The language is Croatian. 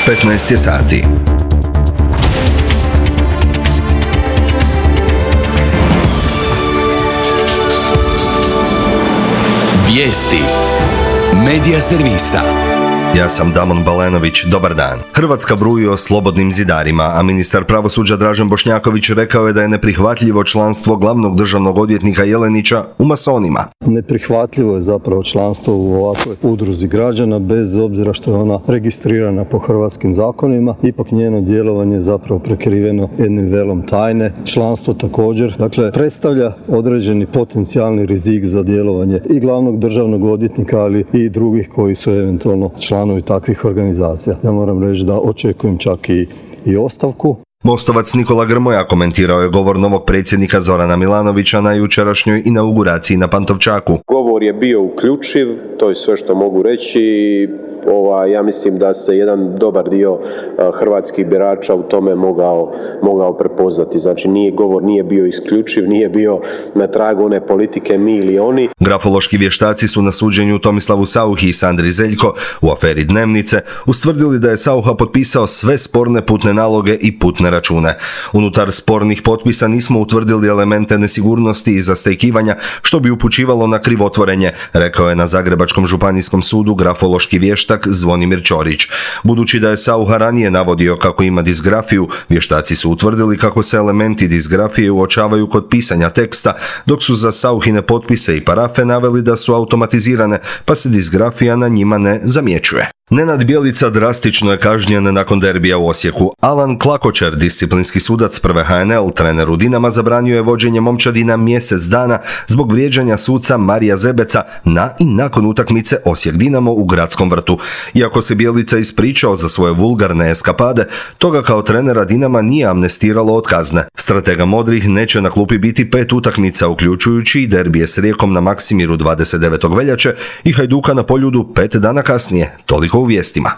15 je sati. Vijesti Medija servisa. Ja sam Damon Balenović, dobar dan. Hrvatska bruji o slobodnim zidarima, a ministar pravosuđa Dražen Bošnjaković rekao je da je neprihvatljivo članstvo glavnog državnog odvjetnika Jelenića u masonima. Neprihvatljivo je zapravo članstvo u ovakvoj udruzi građana, bez obzira što je ona registrirana po hrvatskim zakonima, ipak njeno djelovanje je zapravo prekriveno jednim velom tajne. Članstvo također, predstavlja određeni potencijalni rizik za djelovanje i glavnog državnog odvjetnika, ali i drugih koji su eventualno članovi takvih organizacija. Ja moram reći da očekujem čak i ostavku. Mostovac Nikola Grmoja komentirao je govor novog predsjednika Zorana Milanovića na jučerašnjoj inauguraciji na Pantovčaku. Govor je bio uključiv, to je sve što mogu reći. Ja mislim da se jedan dobar dio hrvatskih birača u tome mogao prepoznati. Znači govor nije bio isključiv, nije bio na tragu one politike mi ili oni. Grafološki vještaci su na suđenju Tomislavu Sauchi i Sandri Zeljko u aferi Dnevnice ustvrdili da je Saucha potpisao sve sporne putne naloge i putne račune. Unutar spornih potpisa nismo utvrdili elemente nesigurnosti i zastajkivanja, što bi upućivalo na krivotvorenje, rekao je na Zagrebačkom županijskom sudu grafološki vještak Zvonimir Ćorić. Budući da je Saucha ranije navodio kako ima disgrafiju, vještaci su utvrdili kako se elementi disgrafije uočavaju kod pisanja teksta, dok su za Sauchine potpise i parafe naveli da su automatizirane, pa se disgrafija na njima ne zamjećuje. Nenad Bjelica drastično je kažnjen nakon derbija u Osijeku. Alan Klakočer, disciplinski sudac prve HNL, treneru Dinama, zabranio je vođenje momčadina mjesec dana zbog vrijeđanja suca Marija Zebeca na i nakon utakmice Osijek-Dinamo u Gradskom vrtu. Iako se Bjelica ispričao za svoje vulgarne eskapade, toga kao trenera Dinama nije amnestiralo od kazne. Stratega modrih neće na klupi biti 5 utakmica, uključujući i derbije s Rijekom na Maksimiru 29. veljače i Hajduka na Poljudu 5 dana kasnije. Toliko u vijestima.